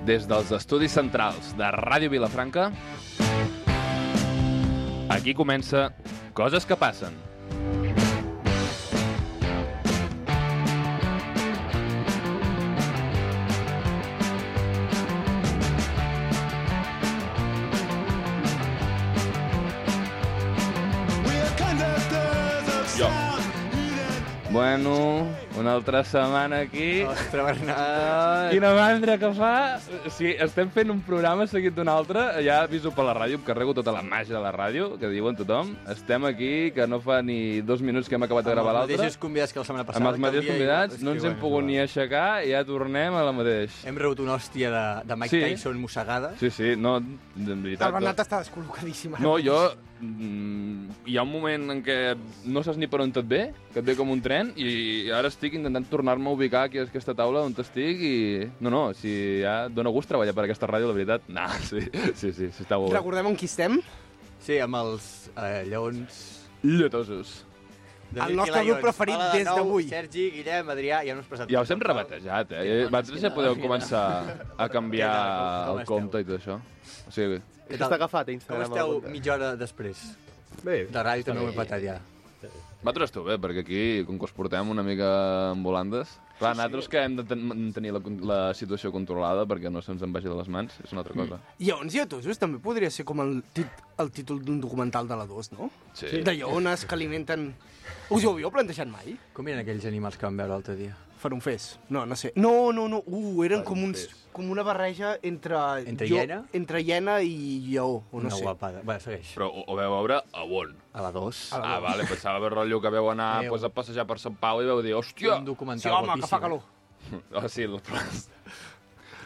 Des dels estudis centrals de Ràdio Vilafranca, aquí comença Coses que passen. Jo. Bueno, una altra setmana aquí. Ostres, Bernat! Quina mandra que fa! Sí, estem fent un programa seguit d'un altre. Ja aviso per la ràdio, em carrego tota la màgia de la ràdio, que diuen tothom. Estem aquí, que no fa ni 2 minuts que hem acabat de gravar l'altre. Amb els mateixos convidats que la setmana passada. Amb els mateixos convidats, no ens hem pogut ni aixecar i ja tornem a la mateix. Hem rebut una hòstia de Mike Tyson mossegada. Sí, no, de veritat. El Bernat està descol·locadíssim. No, jo... hi ha un moment en què no saps ni per on et ve, que et ve com un tren, i ara estic intentant tornar-me a ubicar aquí a aquesta taula on estic i... No, si ja dona gust treballar per aquesta ràdio, la veritat. No, sí, està bo. Recordem on qui estem? Sí, amb els lleons... Lletosos. El nostre grup preferit des d'avui. Sergi, Guillem, Adrià, ja no us presentem. Ja us hem rebatejat, Vosaltres ja podeu començar a canviar el compte i tot això. O sigui... Què t'has agafat a Instagram? Com esteu mitja hora després? Bé. De ràdio també ho he patat ja. Vosaltres esteu bé, perquè aquí, com que us portem una mica amb volandes... Clar, nosaltres que hem de tenir la situació controlada perquè no se'ns en vagi de les mans, és una altra cosa. Lleons lletosos també podria ser com el títol d'un documental de la 2, no? Sí. De lleones que alimenten... Us ho havíeu plantejat mai? Com eren aquells animals que vam veure l'altre dia? Farunfers. No sé. No. Eren com una barreja entre... Entre hiena? Entre hiena i lleó, o no Una sé. guapada. Va, segueix. Però ho veu veure a on? A la 2. Vale, pensava veure rotllo que veu anar a passejar per Sant Pau i veu dir, hòstia! Un Sí, documental home, que fa calor. Sí,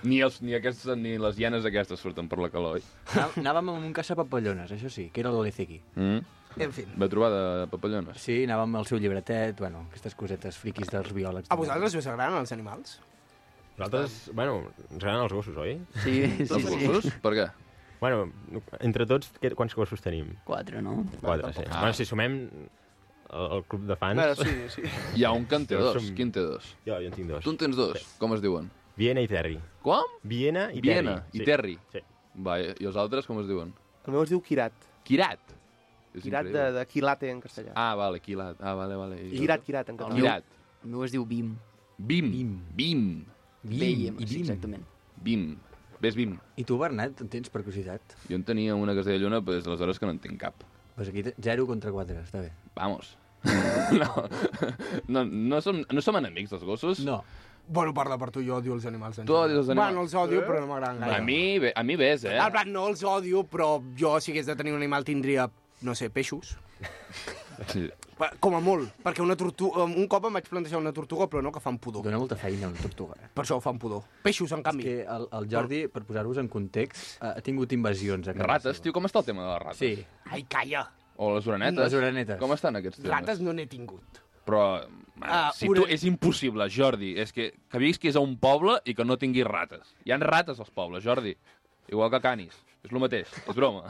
ni les hienes aquestes surten per la calor, oi? Anàvem amb un caçapapallones, això sí, que era l'Olezeki. En fi. Vau trobar de papallones? Sí, anàvem amb el seu llibretet, bueno, aquestes cosetes friquis dels biòlegs. A vosaltres us agraden els animals? Nosaltres, bueno, ens agraden els gossos, oi? Sí. Gossos? Per què? Bueno, entre tots, quants gossos tenim? 4, no? 4, sí. Bueno, si sumem el club de fans... Bueno, sí. Hi ha un que en té dos. Qui en té dos? Jo en tinc 2. Tu en tens dos? Sí. Com es diuen? Viena i Terry. Com? Viena i Viena Terry. i Terry. Sí. Va, i els altres com es diuen? El meu es diu Kirat. Quirat. És Kirat increïble. de Quilate en castellà. Vale, Quilat. Vale. I Kirat en català. Quirat. El meu es diu Bim. Bim. Bim, sí, exactament. Bim. Ves Bim. I tu, Bernat, en tens per curiositat? Jo en tenia una que es deia Lluna, però des d'aleshores que no en tinc cap. Pues aquí 0 contra 4, està bé. Vamos. No som enemics, els gossos? No. Bueno, parla per tu, jo odio els animals. Tu odies els animals? Bueno, els odio, però no m'agraden gaire. A mi ves, En plan, no els odio, però jo, si hagués de tenir un animal, tindria, no sé, peixos. Sí. Com a molt, perquè una tortuga... Un cop em vaig plantejar una tortuga, però no, que fan pudor. Dóna molta feina una tortuga. Per això fan pudor. Peixos, en canvi. És que el Jordi, per posar-vos en context, ha tingut invasions. A casa Rates, seva. tio, com està el tema de les rates? Sí. Ai, calla. O les orenetes? Les orenetes. Com estan aquests temes? Rates no n'he tingut. Però, si tu, és impossible, Jordi. És que visquis a un poble i que no tinguis rates. Hi ha rates als pobles, Jordi. Igual que canis. És el mateix. És broma.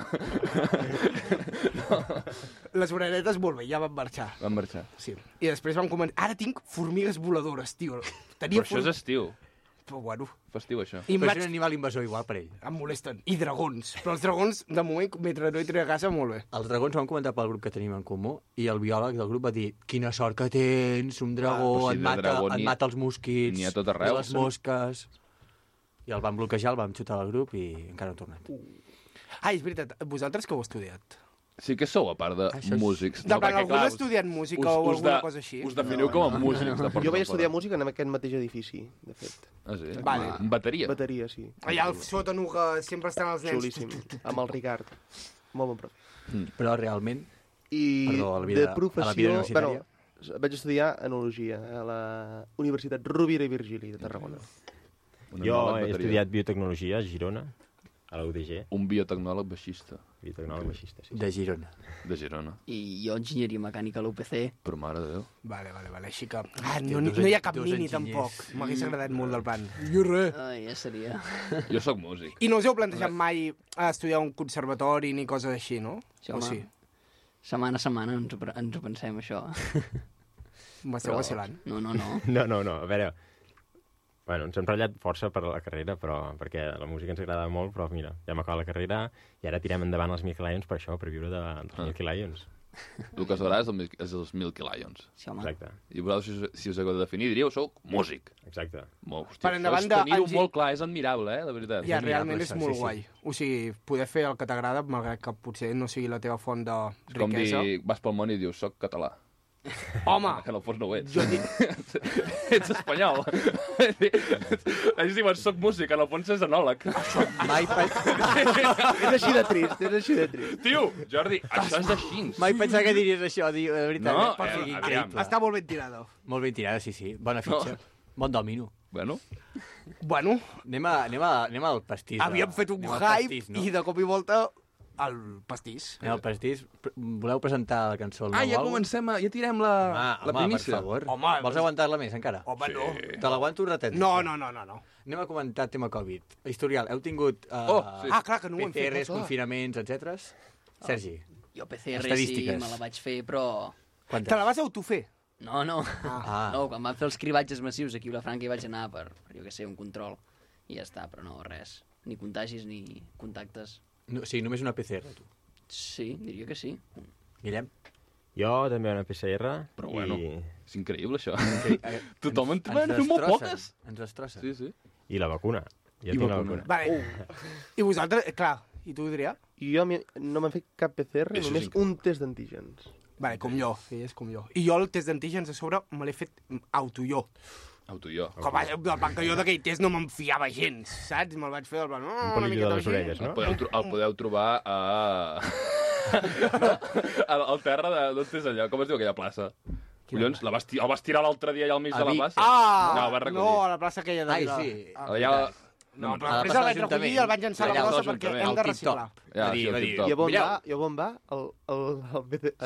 No. Les orenetes, molt bé, ja van marxar. Van marxar. Sí. I després van començar... Ara tinc formigues voladores, tio. Però això és estiu. Però bueno... Festiu, això. I Però és un animal invasor igual per ell. Em molesten. I dragons. Però els dragons, de moment, mentre no hi trec a casa, molt bé. Els dragons ho vam comentar pel grup que tenim en comú i el biòleg del grup va dir quina sort que tens, un dragó, però si et mata els mosquits, n'hi ha tot arreu. i les mosques... I el vam bloquejar, el vam xutar al grup i encara no ha tornat. És veritat. Vosaltres que heu estudiat? Sí que sou, a part de músics. De plan, algú ha estudiat música o alguna cosa així? Us definiu com a músics. Jo vaig estudiar música en aquest mateix edifici, de fet. Ah, sí? Vale. Bateria? Bateria, sí. Allà al sòtano que sempre estan els nens. Xulíssim. Amb el Ricard. Molt bon profe. Però realment... I Perdó, a la de vida professió... universitària. Vaig estudiar enologia a la Universitat Rovira i Virgili de Tarragona. Jo he estudiat biotecnologia a Girona, a la UDG. Un biotecnòleg baixista. Biotecnòleg baixista, sí. De Girona. De Girona. I jo enginyeria mecànica a l'UPC. Però mare de Déu. Vale, així que... no hi ha cap mini, tampoc. M'hagués agradat molt del plan. Jo res. Ai, ja seria... Jo sóc músic. I no us heu plantejat mai a estudiar un conservatori ni coses així, no? Sí, o home. sí? Setmana a setmana ens ho pensem, això. M'esteu vacilant. No. No, a veure... Bueno, ens hem ratllat força per la carrera, perquè la música ens agrada molt, però mira, ja hem acabat la carrera i ara tirem endavant els Milky Lions per això, per viure dels Milky Lions. El que us agrada és els Milky Lions. Sí, home. Exacte. I vosaltres, si us hagueu de definir, diríeu, sou músic. Exacte. Hòstia, Per endavant això teniu de- molt clar, és admirable, de veritat. Ja, admirable, realment és això, molt sí, sí. guai. O sigui, poder fer el que t'agrada, malgrat que potser no sigui la teva font de És com riquesa. dir, vas pel món i dius, soc català. Home, Que en el fons no ho ets. jo dic... Ets espanyol. Ells diuen, soc músic, en el fons és enòleg. Mai És així de trist, és així de trist. Tio, Jordi, això és així. pensava que diries això, de veritat. No, per fi, aviam. increïble. Està molt ben tirada. Molt ben tirada, sí, sí. Bona fitxa. Bon domino. Bueno, Bueno, Anem al pastís. havíem fet un anem al hype pastís, no? i de cop i volta el pastís. Anem al pastís. Voleu presentar la cançó? ja comencem, ja tirem la Home, per primícia. favor. Home, Vols aguantar-la més, encara? Home, no. Te l'aguanto un ratet. No. Anem a comentar tema Covid. Historial, heu tingut Sí. Ah, clar, que no ho hem fet. PCRs, clar. confinaments, etc. Sergi, Jo PCR sí, Estadístiques. me la vaig fer, però... quantes? Te la vas autofer? No, no. Ah. No, quan van fer els cribatges massius aquí a Vilafranca hi vaig anar per, jo què sé, un control. I ja està, però no, res. Ni contagis ni contactes. No, sí, només una PCR, tu. Sí, diria que sí. Guillem? Jo també una PCR. Però bueno, I, és increïble, això. Eh, Tothom en ens van fer molt destrossen, poques. Ens destrossa. Sí, sí. I la vacuna. Jo I tinc la vacuna. vacuna. Vale. I vosaltres, clar, i tu, Adrià? I jo no m'he fet cap PCR, Això només sí. un test d'antígens. Vale, com jo, ell és com jo. I jo el test d'antígens a sobre me l'he fet auto-jo. Auto jo. Com a, del banc que jo d'aquell test no me'n fiava gens, saps? Me'l vaig fer del plan... Un palillo de les orelles, no? El podeu trobar a... al terra d'on és allò? Com es diu aquella plaça? Collons, el vas tirar l'altre dia allà al mig A de la Vic. plaça? Ah! No, el vas recollir. No, a la plaça aquella de Ai, Vila. sí. Allà... No, però a la després plaça el vaig de l'Ajuntament. recollir i el vaig llançar a la Allà, brossa al perquè Ajuntament. hem de El reciclar. tip-top. Ja, Va dir, sí, el va dir, tip-top. I a on Mireu. va? I a on va?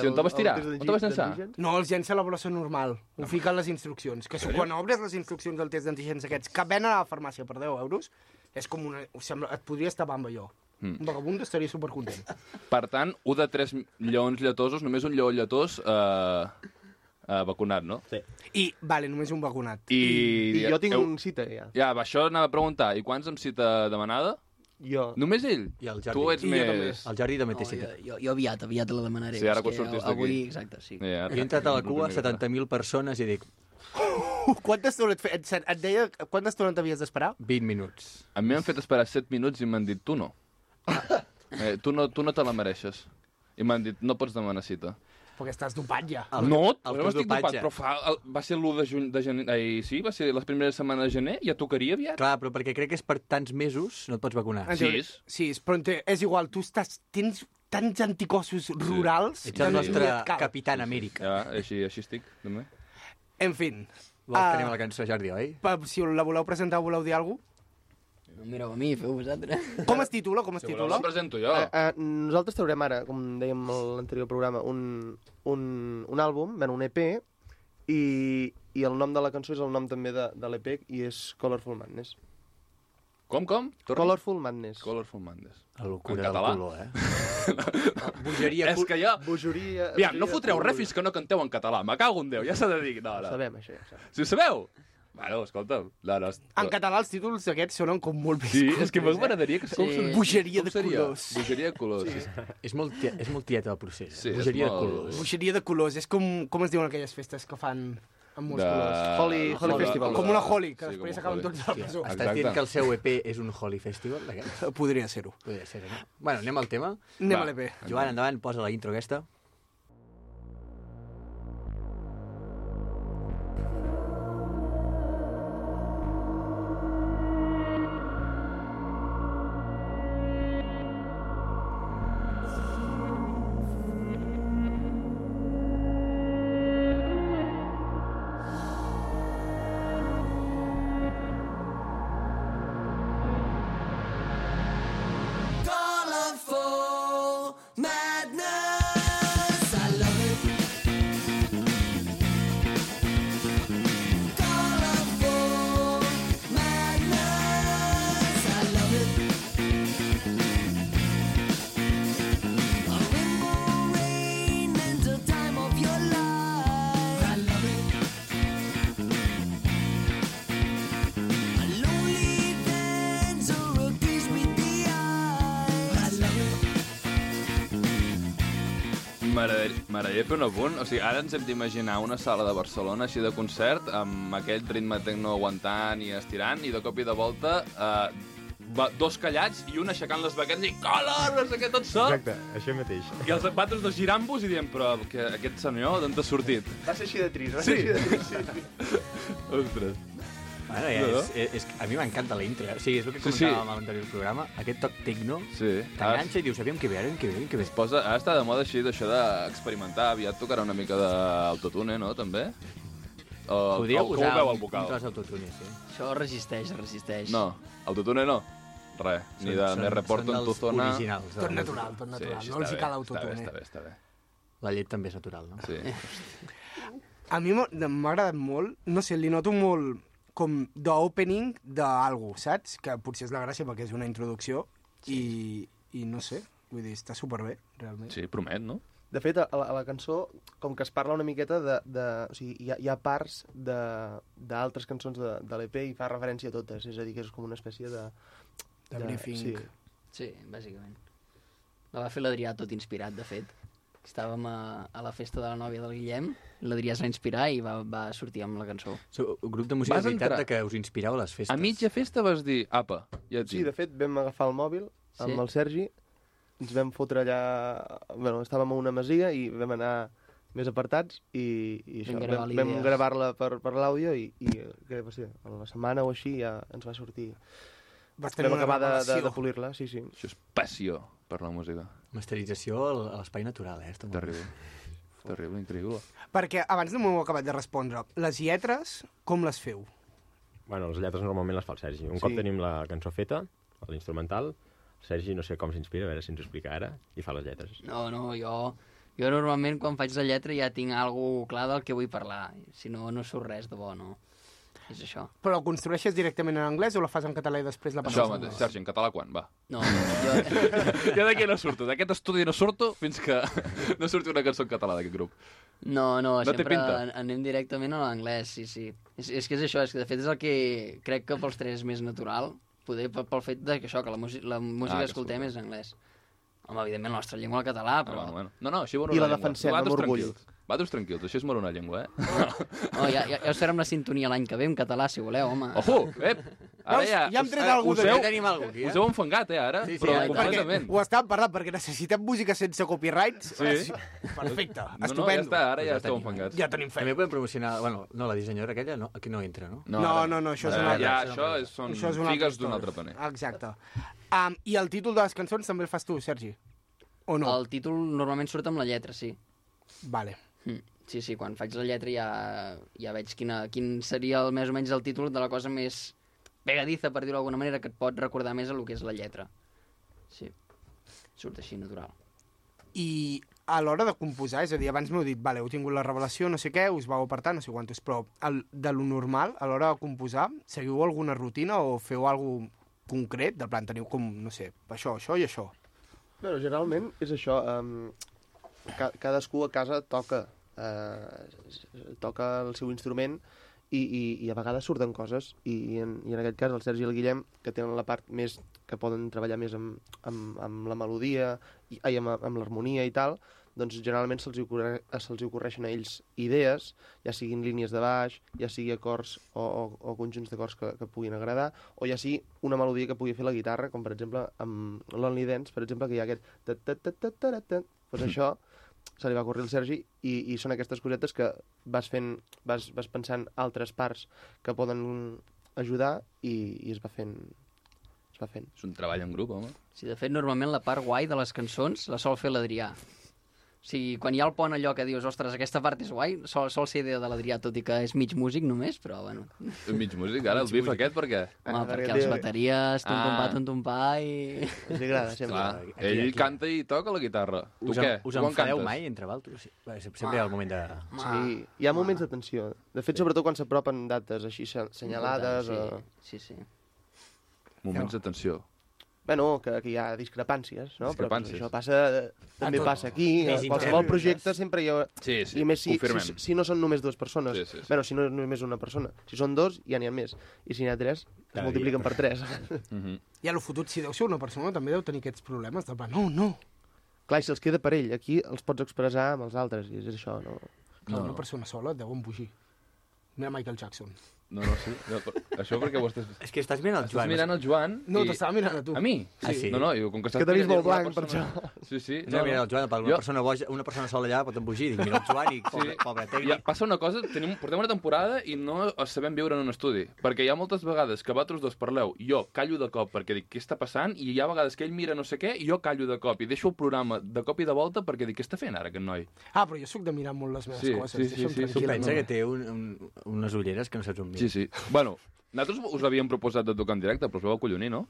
Si on te'l vas tirar? On te'l vas llançar? No, els llença a la brossa normal. Ho fica a les instruccions. Que quan obres les instruccions del test d'antígens aquests, que ven a la farmàcia per 10 euros, és com una... Sembla, et podria estar amb allò. Un vagabund estaria supercontent. Per tant, 1 de 3 lleons lletosos, només un lleó lletós vacunat, no? Sí. I, vale, només un vacunat. I jo tinc un cita, ja. Ja, això anava a preguntar. I quants amb cita demanada? Jo. Només ell? I el Jordi. Tu ets I jo també. més... El Jordi també té No, cita. jo aviat la demanaré. Sí, ara És quan que surtis d'aquí. Avui, exacte, sí. Ja, Jo he entrat a la cua, 70.000 persones, i dic, Quanta estona et deia quanta estona t'havies d'esperar? 20 minuts. A mi m'han fet esperar 7 minuts i m'han dit, tu no. Tu no te la mereixes. I m'han dit, no pots demanar cita. Perquè estàs dopat ja. No el no estic dopatge. dopat, però va ser l'1 de gener... Sí, va ser les primeres setmanes de gener, ja tocaria aviat. Clar, però perquè crec que és per tants mesos no et pots vacunar. En Sí, teoria- és. Sí, però és igual, tu tens tants anticossos rurals Ets el nostre ni et cal. Capitán Amèrica. Ja, així estic, també. En fin, Vols que anem a la cançó, Jordi, oi? si la voleu presentar o voleu dir alguna cosa? No em mireu a mi, feu vosaltres. Com es titula? Com es Si voleu, titula? la presento jo. Nosaltres traurem ara, com dèiem a l'anterior programa, un àlbum, bueno, un EP, i el nom de la cançó és el nom també de l'EP, i és Colorful Madness. Com? Torna. Colorful Madness. Colorful Madness. La locura En del català. color, Bogeria... És que ja... Bogeria... Aviam, no fotreu res fins que no canteu en català. Me cago en Déu, ja s'ha de dir. No, no. Sabem, això ja ho sabem. Si ho sabeu? Bueno, escolta. En català els títols aquests sonen com molt més Sí, cultes, és que m'agradaria que... Com Sí. Bogeria de seria? colors. Bogeria de colors. Sí. És molt tieta el procés. Sí, és Bogeria de molt- colors. Bogeria de colors. És com es diuen aquelles festes que fan amb molts colors. Holly Festival. Com una Holly, que Sí, després com acaben Holly. tots a la presó. Estàs Exacte. dient que el seu EP és un Holy Festival, d'aquests? Podria ser-ho. Podria ser, no? Bueno, anem al tema. Anem Va. a l'EP. Joan, endavant, posa la intro aquesta. Colorful madness. M'agradaria fer un apunt. O sigui, ara ens hem d'imaginar una sala de Barcelona així de concert, amb aquell ritme tecno aguantant i estirant, i de cop i de volta dos callats i un aixecant les baquetes i color, no sé què, tot sol. Exacte, això mateix. I els patos dos girant-vos i diem, però aquest senyor d'on t'ha sortit? Va ser així de trist, va ser així de trist. Sí. Ostres. Bueno, a mi m'encanta la intro. O sigui, és el que comentàvem a l'anterior programa. Aquest toc tecno t'enganxa i dius, aviam que ve. Ara està de moda així d'això d'experimentar. Aviat tocarà una mica d'autotune, no, també? Podria com posar ho veu el vocal? un tros d'autotune, sí. Això resisteix. No, autotune no. Res, ni de me reporto en tu zona. Originals. Tot natural. No els hi cal autotune. Està bé. La llet també és natural, no? Sí. A mi m'ha agradat molt, no sé, li noto molt com d'opening d'algú, saps? Que potser és la gràcia perquè és una introducció i no sé, vull dir, està superbé, realment. Sí, promet, no? De fet, a la cançó, com que es parla una miqueta o sigui, hi ha parts d'altres cançons de l'EP i fa referència a totes, és a dir, que és com una espècie de briefing. Sí, bàsicament. La va fer l'Adrià tot inspirat, de fet. Estàvem a la festa de la nòvia del Guillem, l'Adrià es va inspirar i va sortir amb la cançó. Un grup de música de veritat que us inspireu a les festes. A mitja festa vas dir, apa, ja et dic. Sí, de fet, vam agafar el mòbil amb el Sergi, ens vam fotre allà... Bueno, estàvem a una masia i vam anar més apartats i això, vam gravar-la per l'àudio i què va ser? A la setmana o així ja ens va sortir. Vam acabar de polir-la, sí. Això és passió per la música. Masterització a l'espai natural, Terrible, increïble. Perquè abans no m'ho he acabat de respondre. Les lletres, com les feu? Bueno, les lletres normalment les fa el Sergi. Un cop tenim la cançó feta, l'instrumental, el Sergi no sé com s'inspira, a veure si ens ho explica ara, i fa les lletres. No, jo normalment quan faig la lletra ja tinc alguna clar del que vull parlar. Si no, no surt res de bo, no. És això. Però la construeixes directament en anglès o la fas en català i després la passes? Això mateix, Sergi, en català quan? Va. No, Jo d'aquí no surto, d'aquest estudi no surto fins que no surti una cançó en català d'aquest grup. No, sempre pinta? anem directament a l'anglès, sí. És que és això, és que de fet és el que crec que pels tres és més natural, poder pel fet que això, que la música que escoltem és en anglès. Home, evidentment, la nostra llengua el català, però... Bueno. No, així moro I una la llengua. defensem amb orgull. Vosaltres tranquils, així és moro una llengua, No, ja us farem la sintonia l'any que ve en català, si voleu, home. Ojo, Ara ja hem tret algú us d'aquí. Tenim algú aquí, us heu enfangat, ara? Sí, però perquè completament. Ho estàvem parlant, perquè necessitem música sense copyrights. Sí. Perfecte, No, ja estupendo. està, ara ja esteu enfangats. Ja tenim També fet. podem promocionar... Bueno, no, la dissenyadora aquella aquí no entra, no? No, això és una altra. Ja, això són Això és una altra figues d'un història. altre paner. Exacte. I el títol de les cançons també el fas tu, Sergi? O no? El títol normalment surt amb la lletra, sí. Vale. Sí, quan faig la lletra ja veig quin seria més o menys el títol de la cosa més pegadiza, per dir-ho d'alguna manera, que et pot recordar més a lo que és la lletra. Sí, surt així, natural. I a l'hora de composar, és a dir, abans m'heu dit, vale, heu tingut la revelació, no sé què, us vau apartar, no sé quantos, però de lo normal, a l'hora de composar, seguiu alguna rutina o feu alguna concret? De plan, teniu com, no sé, això i això. Bueno, generalment és això. Cadascú a casa toca el seu instrument i a vegades surten coses i en aquest cas el Sergi i el Guillem, que tenen la part més que poden treballar més amb la melodia amb l'harmonia i tal, doncs generalment se'ls ocorreixen a ells idees, ja siguin línies de baix, ja sigui acords o conjunts d'acords que puguin agradar, o ja sigui una melodia que pugui fer la guitarra, com per exemple amb l'Only Dance, per exemple, que hi ha aquest doncs això se li va ocórrer al Sergi i són aquestes cosetes que vas pensant altres parts que poden ajudar i es va fent. És un treball en grup, home. Sí, de fet, normalment la part guai de les cançons la sol fer l'Adrià. O sigui, quan hi ha el pont allò que dius, ostres, aquesta part és guai, sol ser idea de l'Adrià, tot i que és mig músic només, però bueno. Mig músic, ara el bif aquest, per què? Home, perquè les bateries, tum-tum-pa i... Ens agrada, sempre. Clar, ell canta i toca la guitarra. Tu què? Us enfadeu mai entre vosaltres? Sempre hi ha el moment de... Sí, hi ha moments de tensió. De fet, sobretot quan s'apropen dates així senyalades. Sí. Moments de tensió. Bueno, que hi ha discrepàncies, no? Discrepàncies. Però això també passa aquí. A qualsevol projecte sempre hi ha... Sí, I més confirmem. si no són només dues persones. Sí. Bueno, si no és només una persona. Si són dos, ja n'hi ha més. I si n'hi ha tres, es multipliquen per tres. I a lo fotut, si deu ser una persona, també deu tenir aquests problemes. De plan, no. Clar, si els queda per ell, aquí els pots expressar amb els altres, i és això, no? Clar, una persona sola deu embogir. Mira Michael Jackson. No, sí. Això perquè ho estàs... És que estàs mirant el Joan. Estàs mirant el Joan No, t'estava mirant a tu. A mi? Sí. No, com que estàs... Que t'he vist molt blanc, per persona... això. Sí. No, mira el Joan, una persona sola allà pot embogir. Dic, mira el Joan i pobre tècnic. Passa una cosa, portem una temporada i no sabem viure en un estudi. Perquè hi ha moltes vegades que vosaltres dos parleu, jo callo de cop perquè dic, què està passant? I hi ha vegades que ell mira no sé què i jo callo de cop. I deixo el programa de cop i de volta perquè dic, què està fent ara aquest noi? Però jo sóc de mirar molt les meves coses. Sí. Tu pensa que té unes ulleres que no saps on mira. Sí. Bueno, nosaltres us havíem proposat de tocar en directe, però us vau acollonir, no?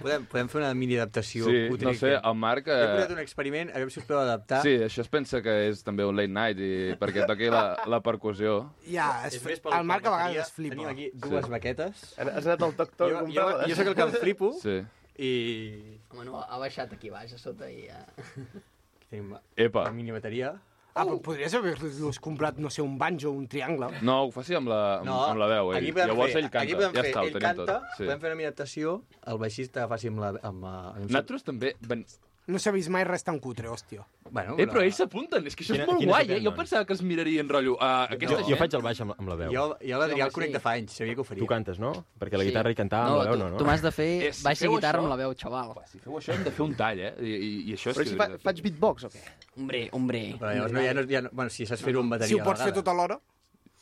Podem fer una mini-adaptació. Sí, no sé, el Marc... Jo he posat un experiment, a veure si us podeu adaptar. Sí, això es pensa que és també un late night perquè toqui la percussió. El Marc a vegades es flipa. Tenim aquí dues baquetes. Has anat al toc-toc a comprar-les? Jo sóc el que em flipo. Sí. I... Home, no, ha baixat aquí baix, a sota i ja... Aquí tenim Epa. la mini bateria. Però podries haver-los comprat, no sé, un banjo o un triangle. No, ho faci amb la veu, ell. Llavors ell canta, ja està, ho tenim tot. Podem fer una mini-adaptació, el baixista faci amb la... Nosaltres també... No s'ha vist mai res tan cutre, hòstia. Bueno, però ells s'apunten, és que això és molt guai, Jo pensava que es mirarien, rotllo, aquesta gent... Jo faig el baix amb la veu. Jo l'Adrià el conec de fa anys, sabia que ho faria. Tu cantes, no? Perquè la guitarra i cantar amb la veu, no? Tu m'has de fer baix i guitarra amb la veu, xaval. Si feu això hem de fer un tall, I això és... Però si faig beatbox o què? Hombre. Però llavors bueno, si saps fer-ho amb bateria Si ho pots fer tot alhora,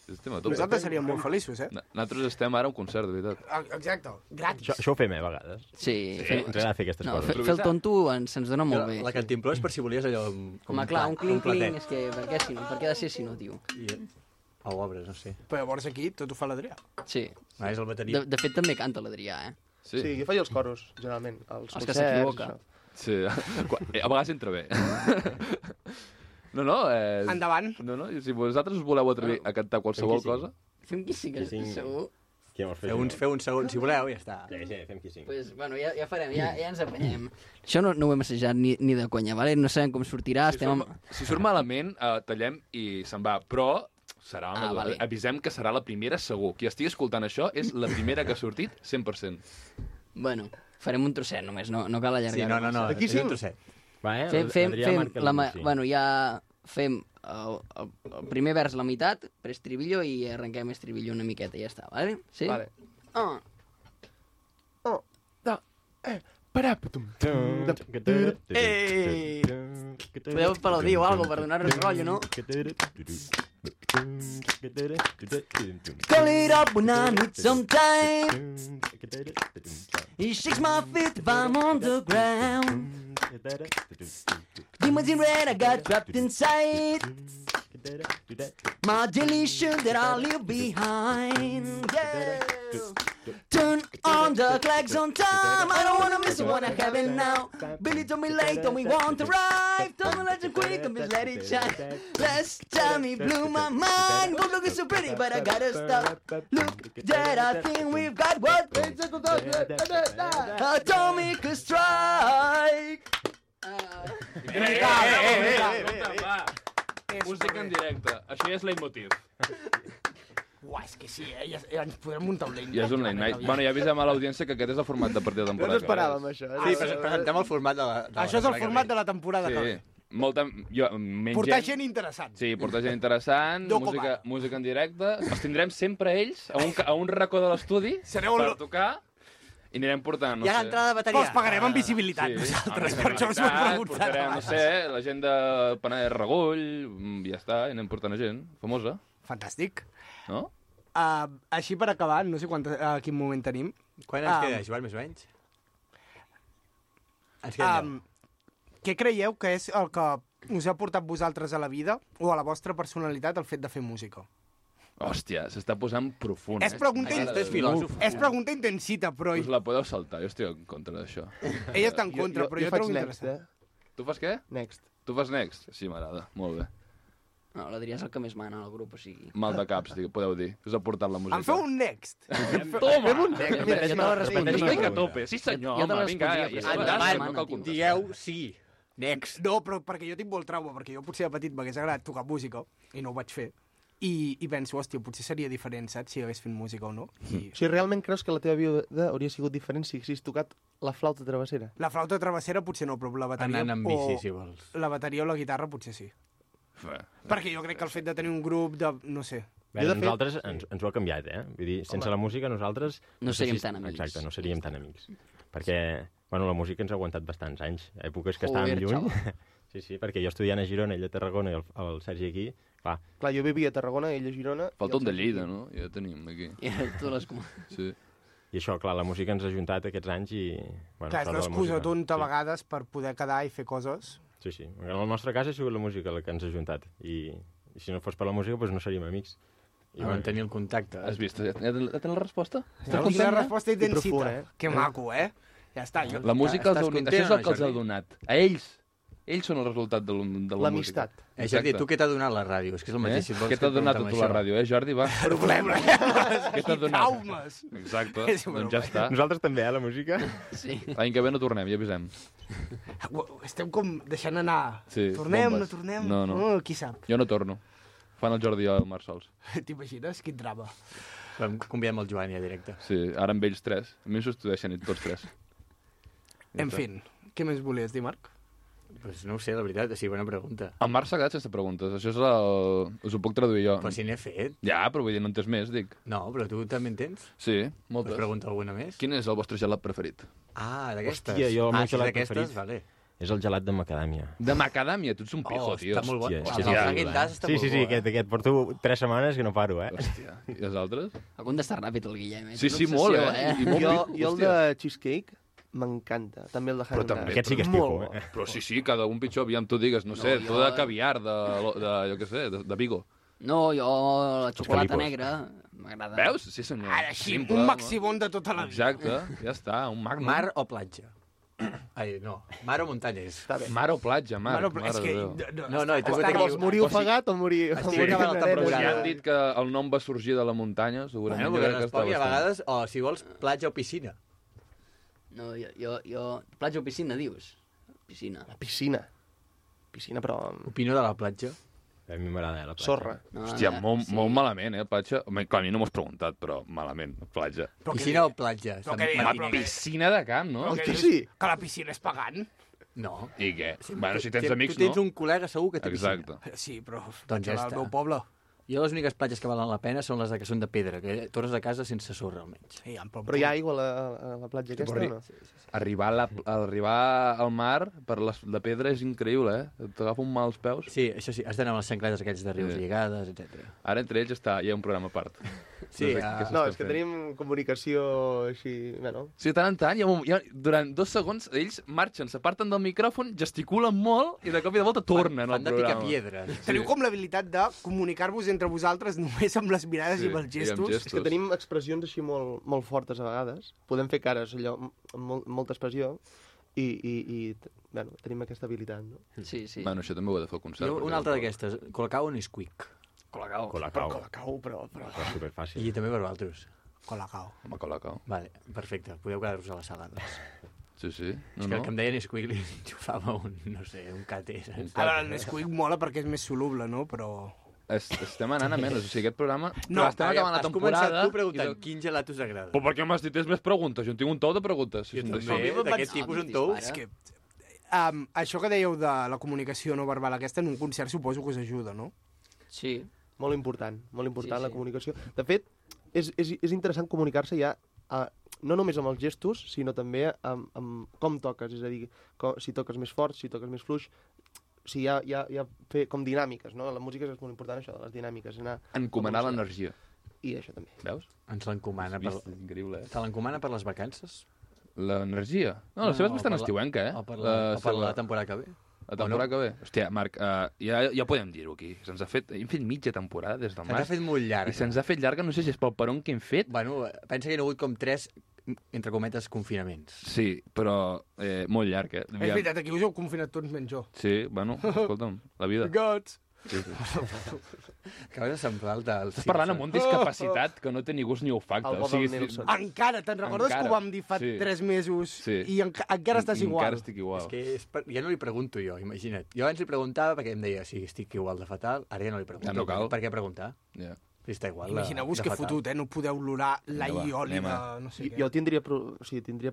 Nosaltres nosaltres seríem molt feliços, Nosaltres estem ara a un concert, de veritat. Exacte, gratis. Això ho fem, a vegades. Sí. Ens agrada fer aquestes coses. Fer el tonto se'ns dona molt bé. La cantimplora és per si volies allò... Home, clar, un clink-clink, és que per què ha de ser si no, tio? O obres, no sé. Però llavors aquí tot ho fa l'Adrià. Sí. És el bateria. De fet, també canta l'Adrià, Sí, jo faig els coros, generalment. Els que s'equivoca. Sí, a vegades entra bé. No, Endavant. No, si vosaltres us voleu atrevir a cantar qualsevol cosa... Fem qui sí, segur. Feu un segon, si voleu, ja està. Sí, fem qui sí. Pues, bueno, ja farem, ja ens apanyem. Això no ho hem assajat ni de conya, vale? No sabem com sortirà, Si surt malament, tallem i se'n va, però... Vale. Avisem que serà la primera segur. Qui estigui escoltant això és la primera que ha sortit 100%. Bueno, farem un trosset només, no cal allargar-ho. Sí, no, Aquí és un trosset. Bueno, ja fem el primer vers la meitat, preestribillo, i arrenquem estribillo una miqueta, i ja està, vale? Sí? Vale. Podeu aplaudir o alguna per donar-nos rotllo, no? Call it up when I need some time. He shakes my feet if I'm on the ground. Demons in red, I got trapped inside. My delusion that I'll leave behind. Yeah. Turn on the clocks on time. I don't wanna miss the one I have it now. Billy told me late, told me want to arrive. Told me let you quick and just let it shine. Last time he blew my mind. Well, looking so pretty, but I gotta stop. Look, Dad, I think we've got what atomic strike. Música en directe. Això ja és leitmotiv. Uah, és que sí, ja ens podrem muntar un late night. Ja és un late night. Bueno, ja avisem a l'audiència que aquest és el format de partida de No temporada. ens esperàvem, això. Sí, presentem el format de la... Això és el format de la temporada que ve. Sí. Portar gent interessant. Sí, portar gent interessant, música en directe. Els tindrem sempre ells a un racó de l'estudi per tocar i anirem portant, no sé... Hi ha l'entrada de Però bateria. els pagarem amb visibilitat, nosaltres, per això us ho hem preguntat. Portarem, no sé, la gent de Penedès Regull, i ja està, i anem portant a gent famosa. Fantàstic. No? Així per acabar, no sé a quin moment tenim. Quan ens queda, Joan, més o menys? Ens queda què creieu que és el que us ha portat vosaltres a la vida o a la vostra personalitat el fet de fer música? Hòstia, s'està posant profund. És pregunta, és filòsof. És pregunta intensita, però... Us la podeu saltar, jo estic en contra d'això. Ella està en contra, però jo trobo interessant. Tu fas què? Next. Tu fas next? Sí, m'agrada, molt bé. No, l'Adrià és el que més mana al grup, o sigui... Mal de caps, podeu dir. Us ha portat la música. Em feu un next. Toma! Mira, jo te la respondria. Estic a tope. Sí, senyor, Jo te home, vinga. Endavant, digueu sí. Next. No, però perquè jo tinc molt trauma, perquè jo potser de petit m'hagués agradat tocar música, i no ho vaig fer. i penso, hòstia, potser seria diferent, saps, si hagués fet música o no. Si realment creus que la teva vida hauria sigut diferent si haguessis tocat la flauta travessera? La flauta travessera potser no, però la bateria... Anant amb bici, si vols. La bateria o la guitarra potser sí. Perquè jo crec que el fet de tenir un grup de... no sé... Bé, nosaltres ens ho ha canviat, Vull dir, sense la música nosaltres... No seríem tan amics. Exacte, no seríem tan amics. Perquè, bueno, la música ens ha aguantat bastants anys. Èpoques que estàvem lluny. Sí, perquè jo estudiant a Girona, ell a Tarragona i el Sergi aquí, clar, jo vivia a Tarragona, ell a Girona... Falta un de Lleida, no? Ja tenim aquí. Sí. I això, clar, la música ens ha juntat aquests anys i... Bueno, clar, és l'excusa tonta a vegades per poder quedar i fer coses. Sí. En el nostre cas ha sigut la música la que ens ha juntat. I si no fos per la música, doncs no seríem amics. I van tenir el contacte. Has vist? Ja tens la resposta? Tens la resposta i tens cita. Que maco, Ja està. La música els ha unit. Això és el que els ha donat. A ells. Ells són el resultat de la música. L'amistat. Jordi, tu què t'ha donat la ràdio? És que és el mateix. Què t'ha donat a tu la ràdio, Jordi? Va. Problema. Què t'ha donat? Traumes. Exacte. Doncs ja està. Nosaltres també, la música? Sí. L'any que ve no tornem, ja avisem. Estem com deixant anar. Sí, tornem, bombes. no tornem? No. Qui sap? Jo no torno. Fan el Jordi i el Marc sols. T'imagines? Quin drama. Convidem el Joan ja directe. Sí, ara amb ells 3. A mi substitueixen tots 3. En fi, què més volies dir, Marc? Pues no ho sé, la veritat, sí, bona pregunta. El Marc s'ha quedat sense preguntes. Això és us ho puc traduir jo. Però si n'he fet. Ja, però vull dir, no en tens més, dic. No, però tu també en tens? Sí, moltes. Pues pregunta alguna més? Quin és el vostre gelat preferit? D'aquestes. Hòstia, jo el meu gelat d'aquestes, preferit vale. És el gelat de macadàmia. De macadàmia? Tu ets un pijo, tio. Està molt bo. Hòstia, El Häagen-Dazs està molt bo. Sí, aquest porto 3 setmanes que no paro, Hòstia, i els altres? Ha contestat ràpid el Guillem, Sí, molt, I molt jo el de cheesecake m'encanta, també el de Häagen-Dazs. Aquest sí que és pijo, Però sí, cada un pitjor, aviam, tu digues, no sé, tu de caviar, jo què sé, de Vigo. No, jo la xocolata negra m'agrada. Veus? Sí, senyor. Ara així, un maximón de tota la vida. Exacte, ja està, un magnum. Mar o platja? Ai, no. Mar o muntanyes? Mar o platja, Marc. És que... No, i tu Vols morir ofegat o morir... Estic acabant la Però temporada. si han dit que el nom va sorgir de la muntanya, segurament... Bueno, perquè respongui a vegades, o si vols, platja o piscina. No, jo... Platja o piscina, dius? Piscina. La piscina. Piscina, però... Opino de la platja. A mi m'agrada, la platja. Sorra. No, Hòstia, molt malament, platja. Home, clar, a mi no m'ho has preguntat, però malament, platja. Piscina o platja? Piscina de camp, no? Que sí. Que la piscina és pagant? No. I què? Bueno, si tens amics, no? Tu tens un col·lega segur que té piscina. Exacte. Sí, però... Doncs ja al està. meu poble. Jo les úniques platges que valen la pena són les que són de pedra, que tornes a casa sense sorra, almenys. Sí, però hi ha aigua a la platja aquesta, o no? Arribar al mar per la pedra és increïble, T'agafa un mal als peus. Sí, això sí, has d'anar amb les xancletes aquells de rius lligades, etc. Ara entre ells hi ha un programa a part. Sí, no, és que tenim comunicació així... Bueno. Sí, de tant en tant, durant 2 segons, ells marxen, s'aparten del micròfon, gesticulen molt i de cop i de volta tornen al programa. Fan de picar piedres. Teniu com l'habilitat de comunicar-vos entre vosaltres només amb les mirades i amb els gestos. És que tenim expressions així molt fortes a vegades. Podem fer cares allò amb molta expressió i bueno, tenim aquesta habilitat, no? Sí. Bueno, això també ho he de fer al concert. Una altra d'aquestes, Colacao o Nesquik? Colacao. Però superfàcil. I també per vosaltres. Colacao. Home, Colacao. Vale, perfecte. Podeu quedar-vos a la sala, doncs. Sí. És que em deia Nesquik li enxufava un càter. Ara, el Nesquik mola perquè és més soluble, no? Però... Estem anant a menys, o sigui, aquest programa... No, estem acabant la temporada... Has començat tu preguntant quin gelat us agrada. Però per què m'has dit més preguntes? Jo en tinc un tou de preguntes. Jo també, d'aquest tipus un tou. És que... això que dèieu de la comunicació no verbal aquesta, en un concert suposo que us ajuda, no? Sí. Molt important la comunicació. De fet, és interessant comunicar-se ja no només amb els gestos, sinó també amb com toques, és a dir, si toques més fort, si toques més fluix, si hi ha fer com dinàmiques, no? La música és molt important, això, de les dinàmiques. Encomanar l'energia. I això també. Veus? Ens l'encomana per... Increïble, Te l'encomana per les vacances? L'energia? No, la seva és bastant estiuenca, O per la temporada que ve? La temporada que ve? Hòstia, Marc, ja podem dir-ho aquí. Hem fet mitja temporada des del març. Se'ns ha fet molt llarga. I se'ns ha fet llarga, no sé si és pel peron que hem fet. Bueno, pensa que hi ha hagut com 3, entre cometes, confinaments. Sí, però molt llarg, És veritat, aquí us heu confinat tots menys jo. Sí, bueno, escolta'm, la vida. Gots! Acabes de semblar el del... Estàs parlant amb un discapacitat que no té ni gust ni olfacte. El Bob Nelson. Encara, te'n recordes que ho vam dir fa 3 mesos i encara estàs igual? Encara estic igual. És que ja no li pregunto jo, imagina't. Jo abans li preguntava perquè em deia, sí, estic igual de fatal, ara ja no li pregunto. Ja no cal. Per què preguntar? Ja. Està igual. Imagineu-vos que fotut, no podeu olorar l'all i oli de no sé què. Jo tindria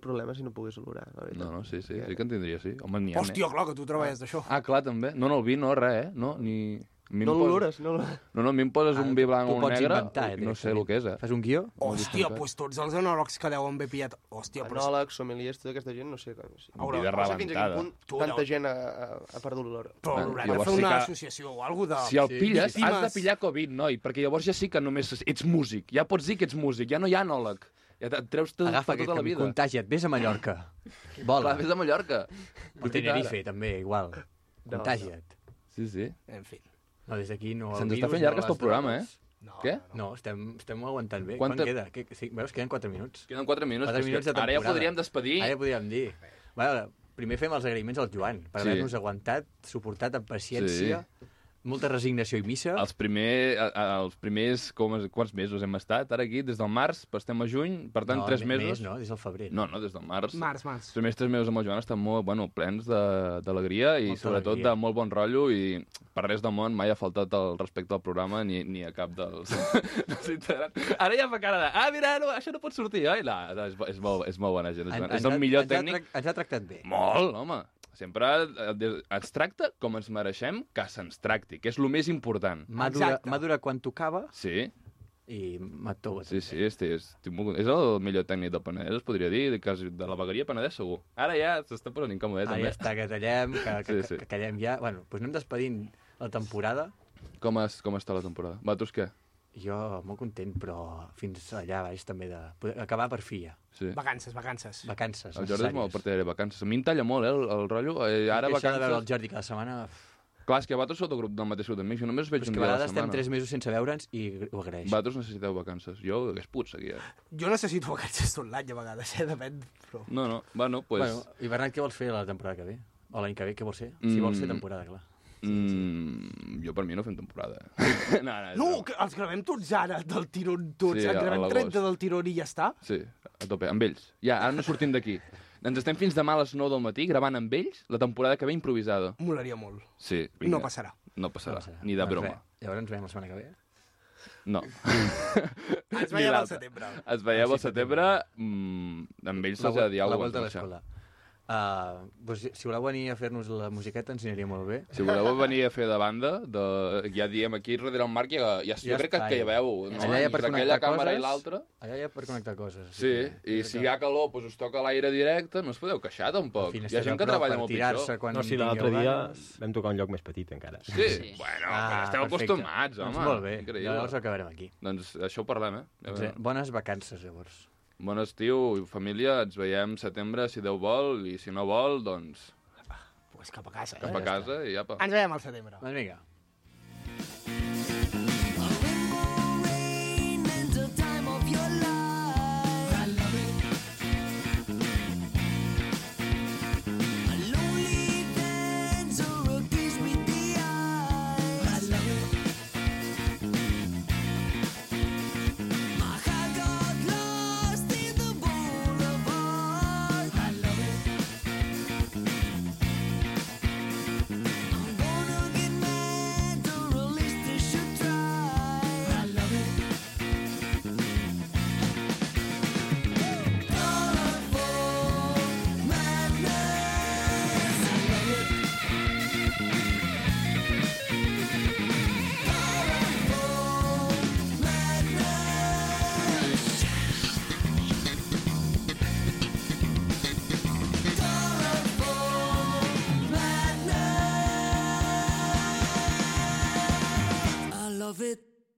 problemes si no pogués olorar, la veritat. No, sí que en tindria, sí. Home, n'hi ha. Hòstia, clar, que tu treballes d'això. Ah, clar, també. No, el vi no, res, No, ni... No l'olores? No, a mi em poses un vi blanc o un negre, no sé el que és, Fas un guió? Hòstia, doncs tots els enòlegs que deuen haver pillat... Hòstia, però... Enòlegs, sommeliers, tota aquesta gent, no sé... Un vi de rebentada. Tanta gent ha perdut l'olor. Però haurem de fer una associació o alguna cosa de... Si el pilles, has de pillar Covid, noi, perquè llavors ja sí que només ets músic. Ja pots dir que ets músic, ja no hi ha enòleg. Ja et treus tota la vida. Contagia't, vés a Mallorca. Vola. Vés a Mallorca. O Tenerife, també, igual. Contagia't. Sí. En fi. No, des d'aquí no... Se'ns està fent llarg el programa, Què? No, estem aguantant bé. Quan queda? Veus, queden 4 minuts. Queden 4 minuts. 4 minuts de temporada. Ara ja podríem despedir. Ara ja podríem dir. Primer fem els agraïments al Joan, per haver-nos aguantat, suportat amb paciència, molta resignació i missa. Els primers quants mesos hem estat ara aquí? Des del març, estem a juny, per tant, 3 mesos. No, des del febrer. No, des del març. Març. Els primers 3 mesos amb el Joan estan molt, plens d'alegria i sobretot de molt bon rotllo i per res del món mai ha faltat el respecte al programa ni a cap dels integrants. Ara ja fa cara de, mira, això no pot sortir, oi? No, és molt bona gent. És el millor tècnic. Ens ha tractat bé. Molt, home. Sempre ens tracta com ens mereixem que se'ns tracti, que és el més important. Madura quan tocava. Sí. I mató. Sí, és el millor tècnic del Penedès, es podria dir, de la vegueria Penedès, segur. Ara ja s'està posant incòmode, també. Ja està, que tallem, que callem ja. Bueno, doncs anem despedint la temporada. Com està la temporada? Vosaltres què? Jo molt content, però fins allà baix també acabar per fi ja. Sí. Vacances. El Jordi és molt partidari de vacances. A mi em talla molt, el rotllo. Ara vacances... Això de veure el Jordi cada setmana... Clar, és que vosaltres sou del mateix grup d'amics, jo només us veig un dia a la setmana. Però és que a vegades estem 3 mesos sense veure'ns i ho agraeixo. Vosaltres necessiteu vacances. Jo hagués pogut seguir. Jo necessito vacances tot l'any, a vegades, depèn. Però... No, bueno, pues... I Bernat, què vols fer la temporada que ve? O l'any que ve, què vols ser? Si vols fer temporada, clar. Jo per mi no fem temporada. No, que els gravem tots ara, del tirón tots. Sí, en gravem 30 del tirón i ja està. Sí, a tope, amb ells. Ja, ara no sortim d'aquí. Ens estem fins demà a les 9 del matí gravant amb ells la temporada que ve improvisada. Molaria molt. Sí, vinga. No passarà, ni de broma. Llavors ens veiem la setmana que ve? No. Ens veiem al setembre. Ens veiem al setembre, amb ells se'ls ha de dir alguna cosa. La volta a l'escola. Si voleu venir a fer-nos la musiqueta ens aniria molt bé. Si voleu venir a fer de banda, ja diem aquí darrere el Marc, jo crec que hi veu, no? Allà hi ha per connectar coses. Allà hi ha per connectar coses. Sí, i si hi ha calor, us toca l'aire directe, no us podeu queixar tampoc. Hi ha gent que treballa molt pitjor. No, si l'altre dia vam tocar un lloc més petit encara. Sí, bueno, esteu acostumats, home. Molt bé, llavors acabarem aquí. Doncs això ho parlem, Bones vacances, llavors. Bon estiu, família, ens veiem setembre, si Déu vol, i si no vol, doncs... Pues cap a casa. Cap a casa i apa. Ens veiem al setembre. Doncs vinga.